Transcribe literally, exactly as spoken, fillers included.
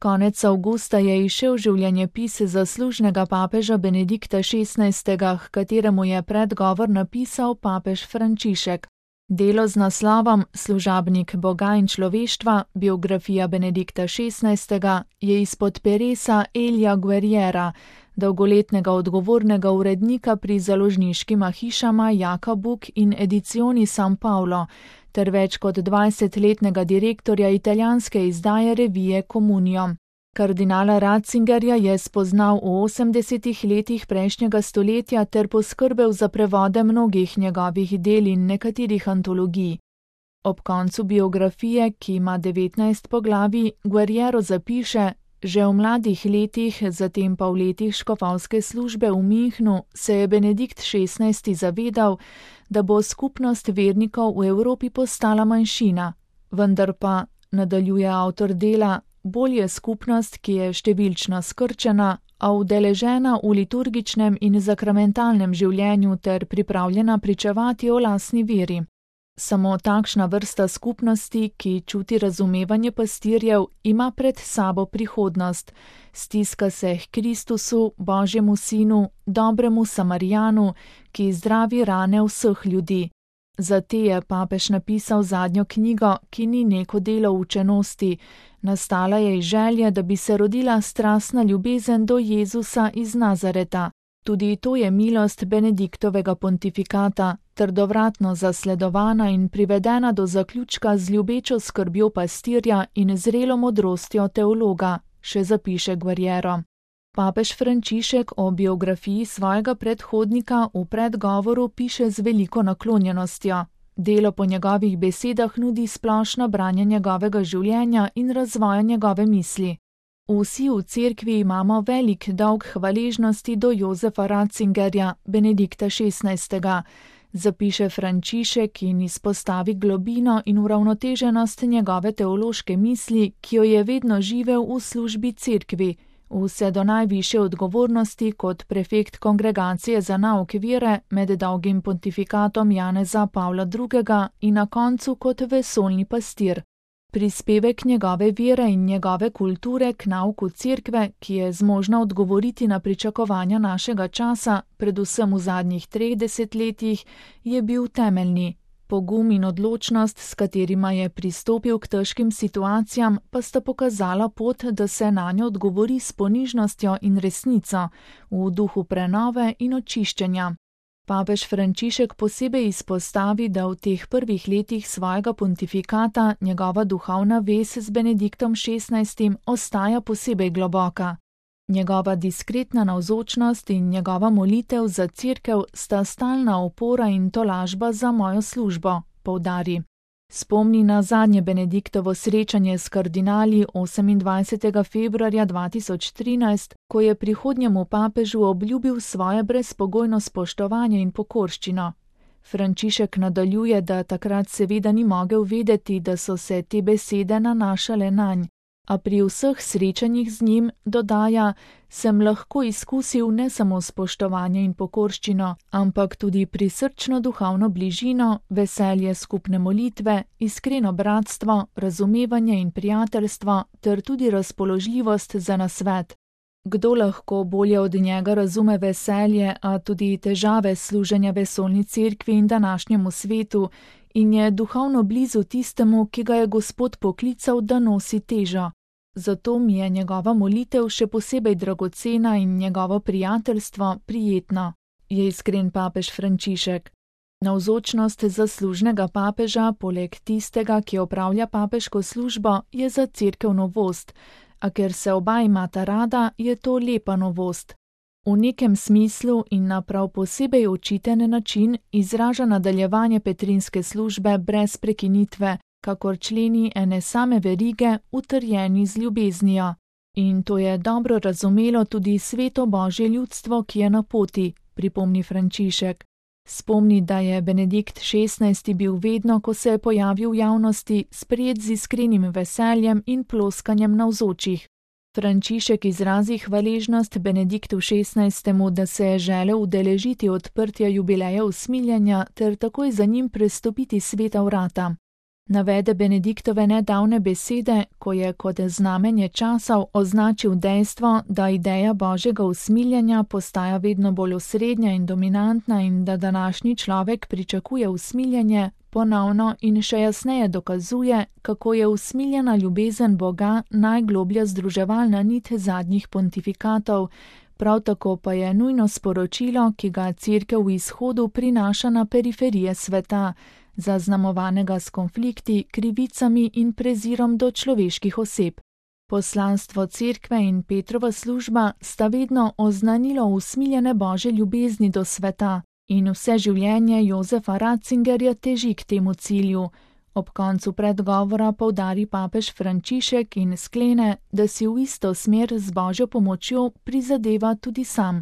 Konec avgusta je izšel življenjepis zaslužnega papeža Benedikta šestnajstega, h kateremu je predgovor napisal papež Frančišek. Delo z naslovom Služabnik Boga in človeštva, biografija Benedikta šestnajstega, je izpod peresa Elija Guerriera, dolgoletnega odgovornega urednika pri založniškima hišama Jaka Buk in Edizioni San Paolo, ter več kot dvajsetletnega direktorja italijanske izdaje revije Comunio. Kardinala Ratzingerja je spoznal v osemdesetih letih prejšnjega stoletja ter poskrbel za prevode mnogih njegovih del in nekaterih antologij. Ob koncu biografije, ki ima devetnajst poglavij, Guerriero zapiše: Že v mladih letih, zatem pa v letih škofovske službe v Münchnu, se je Benedikt šestnajsti zavedal, da bo skupnost vernikov v Evropi postala manjšina, vendar pa, nadaljuje avtor dela, bolj je skupnost, ki je številčno skrčena, a udeležena v liturgičnem in zakramentalnem življenju ter pripravljena pričevati o lastni veri. Samo takšna vrsta skupnosti, ki čuti razumevanje pastirjev, ima pred sabo prihodnost, stiska se k Kristusu, Božjemu sinu, dobremu Samarijanu, ki zdravi rane vseh ljudi. Za te je papež napisal zadnjo knjigo, ki ni neko delo učenosti, nastala je iz želje, da bi se rodila strastna ljubezen do Jezusa iz Nazareta. Tudi to je milost Benediktovega pontifikata, trdovratno zasledovana in privedena do zaključka z ljubečo skrbjo pastirja in zrelo modrostjo teologa, še zapiše Guerriero. Papež Frančišek o biografiji svojega predhodnika v predgovoru piše z veliko naklonjenostjo. Delo po njegovih besedah nudi splošno branje njegovega življenja in razvoja njegove misli. Vsi v cerkvi imamo velik dolg hvaležnosti do Jozefa Ratzingerja, Benedikta šestnajstega, zapiše Frančišek in izpostavi globino in uravnoteženost njegove teološke misli, ki jo je vedno živel v službi cerkvi, vse do najvišje odgovornosti kot prefekt kongregacije za nauk vere med dolgim pontifikatom Janeza Pavla drugega in na koncu kot vesoljni pastir. Prispevek njegove vere in njegove kulture k nauku cerkve, ki je zmožna odgovoriti na pričakovanja našega časa, predvsem v zadnjih treh desetletjih, je bil temeljni. Pogum in odločnost, s katerima je pristopil k težkim situacijam, pa sta pokazala pot, da se nanjo odgovori s ponižnostjo in resnico, v duhu prenove in očiščenja. Papež Frančišek posebej izpostavi, da v teh prvih letih svojega pontifikata njegova duhovna vez z Benediktom šestnajstim ostaja posebej globoka. Njegova diskretna navzočnost in njegova molitev za cerkev sta stalna opora in tolažba za mojo službo, poudari. Spomni na zadnje Benediktovo srečanje s kardinali osemindvajsetega februarja dva tisoč trinajst, ko je prihodnjemu papežu obljubil svoje brezpogojno spoštovanje in pokorščino. Frančišek nadaljuje, da takrat seveda ni mogel vedeti, da so se te besede nanašale nanj, a pri vseh srečanjih z njim, dodaja, sem lahko izkusil ne samo spoštovanje in pokorščino, ampak tudi prisrčno duhovno bližino, veselje skupne molitve, iskreno bratstvo, razumevanje in prijateljstvo ter tudi razpoložljivost za nasvet. Kdo lahko bolje od njega razume veselje, a tudi težave služenja vesoljni cerkvi in današnjemu svetu, in je duhovno blizu tistemu, ki ga je Gospod poklical, da nosi težo. Zato mi je njegova molitev še posebej dragocena in njegovo prijateljstvo prijetno, je iskren papež Frančišek. Navzočnost zaslužnega papeža, poleg tistega, ki opravlja papeško službo, je za cerkev novost, a ker se oba imata rada, je to lepa novost. V nekem smislu in na prav posebej očiten način izraža nadaljevanje petrinske službe brez prekinitve, kakor členi ene same verige, utrjeni z ljubeznijo. In to je dobro razumelo tudi sveto Božje ljudstvo, ki je na poti, pripomni Frančišek. Spomni, da je Benedikt šestnajsti bil vedno, ko se je pojavil v javnosti, sprejet z iskrenim veseljem in ploskanjem navzočih. Frančišek izrazi hvaležnost Benediktu šestnajstemu, da se je želel udeležiti odprtja jubileja usmiljenja ter takoj za njim prestopiti sveta vrata. Navede Benediktove nedavne besede, ko je kot znamenje časov označil dejstvo, da ideja božjega usmiljenja postaja vedno bolj osrednja in dominantna in da današnji človek pričakuje usmiljenje, ponovno in še jasneje dokazuje, kako je usmiljena ljubezen Boga najgloblja združevalna nit zadnjih pontifikatov, prav tako pa je nujno sporočilo, ki ga Cerkev v izhodu prinaša na periferije sveta, zaznamovanega s konflikti, krivicami in prezirom do človeških oseb. Poslanstvo Cerkve in Petrova služba sta vedno oznanilo usmiljene božje ljubezni do sveta in vse življenje Jozefa Ratzingerja teži k temu cilju. Ob koncu predgovora poudari papež Frančišek in sklene, da si v isto smer z božjo pomočjo prizadeva tudi sam.